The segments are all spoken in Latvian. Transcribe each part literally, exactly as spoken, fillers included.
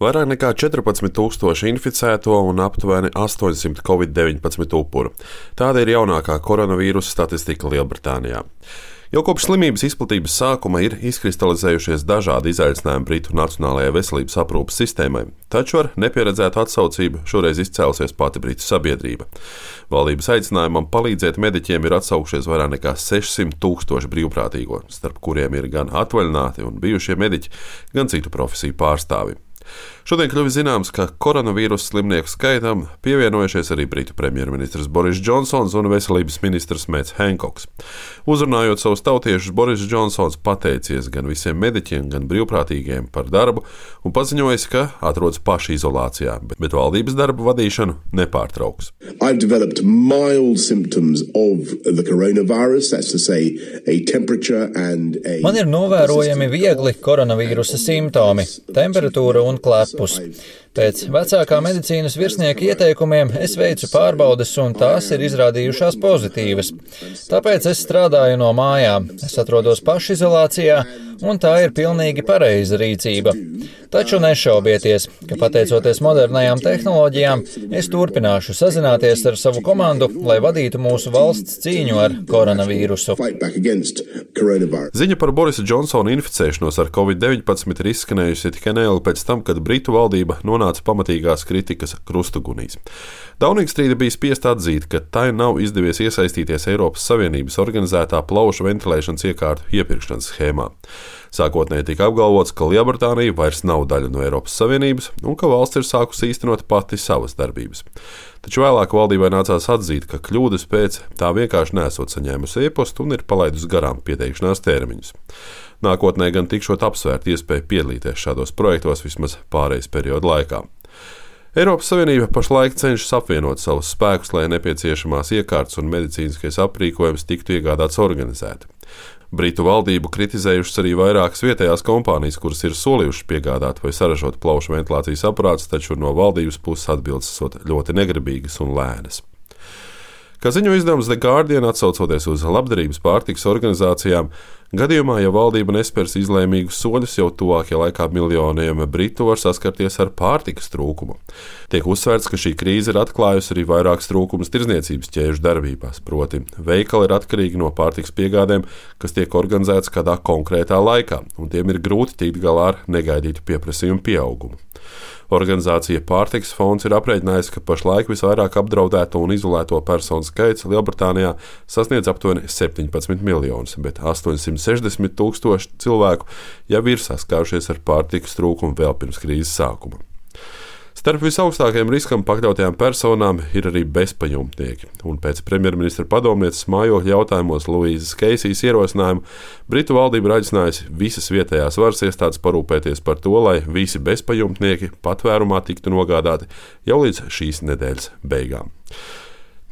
Vairāk nekā četrpadsmit tūkstoši inficēto un aptuveni astoņsimt covid deviņpadsmit upuru. Tāda ir jaunākā koronavīrusa statistika Lielbritānijā. Jau kopš slimības izplatības sākuma ir izkristalizējušies dažādi izaicinājumi Britu nacionālajai veselības aprūpes sistēmai, taču ar nepieredzētu atsaucību šoreiz izcēlusies pati Britu sabiedrība. Valdības aicinājumam palīdzēt mediķiem ir atsaukušies vairāk nekā sešsimt tūkstoši brīvprātīgo, starp kuriem ir gan atvaļināti un bijušie mediķi, gan citu profesiju pārstāvi. Šodien kļuvis zināms, ka koronavīrusa slimnieku skaitam pievienojušies arī Britu premjerministrs Boris Džonsons un veselības ministrs Mets Henkoks. Uzrunājot savus tautiešus, Boris Džonsons pateicies gan visiem mediķiem, gan brīvprātīgiem par darbu un paziņojis, ka atrodas pašizolācijā, bet, bet valdības darbu vadīšanu nepārtrauks. I've developed mild symptoms of the coronavirus, that's to say a temperature and a... Man ir novērojami viegli koronavīrusa simptomi, temperatūra un klepus. Pēc vecākā medicīnas virsnieka ieteikumiem es veicu pārbaudes, un tās ir izrādījušās pozitīvas. Tāpēc es strādāju no mājām. Es atrodos pašizolācijā, un tā ir pilnīgi pareiza rīcība. Taču nešaubieties, ka pateicoties modernajām tehnoloģijām, es turpināšu sazināties ar savu komandu, lai vadītu mūsu valsts cīņu ar koronavīrusu. Ziņa par Borisa Džonsona inficēšanos ar covid deviņpadsmit ir izskanējusi tikai neilgi pēc tam, kad Britu valdība nonāca pamatīgās kritikas krustugunīs. Dauningstrīda bija spiest atzīt, ka tai nav izdevies iesaistīties Eiropas Savienības organizētā plaušu ventilēšanas iekārtu iepirkšanas schēmā. Sākotnēji tika apgalvots, ka Lielbritānija vairs nav daļa no Eiropas Savienības un ka valsts ir sākusi īstenot pati savas darbības. Taču vēlāk valdībai nācās atzīt, ka kļūdas pēc tā vienkārši nesot saņēmusi e-pastu un ir palaidusi garām pieteikšanās termiņus. Nākotnē gan tikšot apsvērt iespēju piedalīties šādos projektos vismaz pārejas perioda laikā. Eiropas Savienība pašlaik cenšas apvienot savus spēkus, lai nepieciešamās iekārtas un medicīniskais aprīkojums tiktu iegādāts organizēti. Britu valdību kritizējušas arī vairākas vietējās kompānijas, kuras ir solījušas piegādāt vai saražot plaušu ventilācijas aparātus, taču no valdības puses atbildes esot ļoti negribīgas un lēnas. Kā ziņo izdevums The Guardian, atsaucoties uz labdarības pārtikas organizācijām, gadījumā, ja valdība nespērs izlēmīgus soļus, jau tuvākajā laikā miljoniem britu var saskarties ar pārtikas trūkumu. Tiek uzsvērts, ka šī krīze ir atklājusi arī vairākas trūkumus tirdzniecības ķēžu darbībās, proti veikali ir atkarīgi no pārtikas piegādēm, kas tiek organizētas kādā konkrētā laikā, un tiem ir grūti tikt galā ar negaidītu pieprasījumu pieaugumu. Organizācija Pārtikas fonds ir aprēķinājusi, ka pašlaik visvairāk apdraudēto un izolēto personu skaits Lielbritānijā sasniedz aptuveni septiņpadsmit miljonus, bet astoņsimt sešdesmit tūkstoši cilvēku jau ir saskārušies ar pārtikas trūkumu vēl pirms krīzes sākuma. Starp visaugstākajiem riskam pakļautajām personām ir arī bezpajumtnieki, un pēc premjerministra padomnieces mājokļa jautājumos Luīzas Keisijas ierosinājumu Britu valdība ir aicinājusi visas vietējās varas iestādes parūpēties par to, lai visi bezpajumtnieki patvērumā tiktu nogādāti jau līdz šīs nedēļas beigām.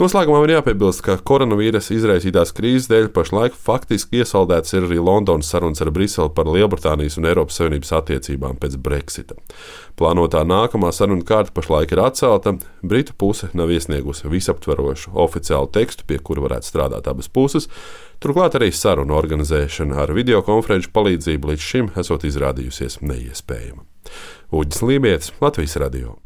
Noslēgumā ir jāpiebilst, ka koronavīrusa izraisītās krīzes dēļ pašlaik faktiski iesaldēts ir arī Londonas sarunas ar Briseli par Lielbritānijas un Eiropas Savienības attiecībām pēc Brexita. Plānotā nākamā saruna kārta pašlaik ir atcelta, Britu puse nav iesniegusi visaptverošu oficiālu tekstu, pie kura varētu strādāt abas puses, turklāt arī sarunu organizēšana ar videokonferenču palīdzību līdz šim esot izrādījusies neiespējama. Uģis Lībietis, Latvijas radio.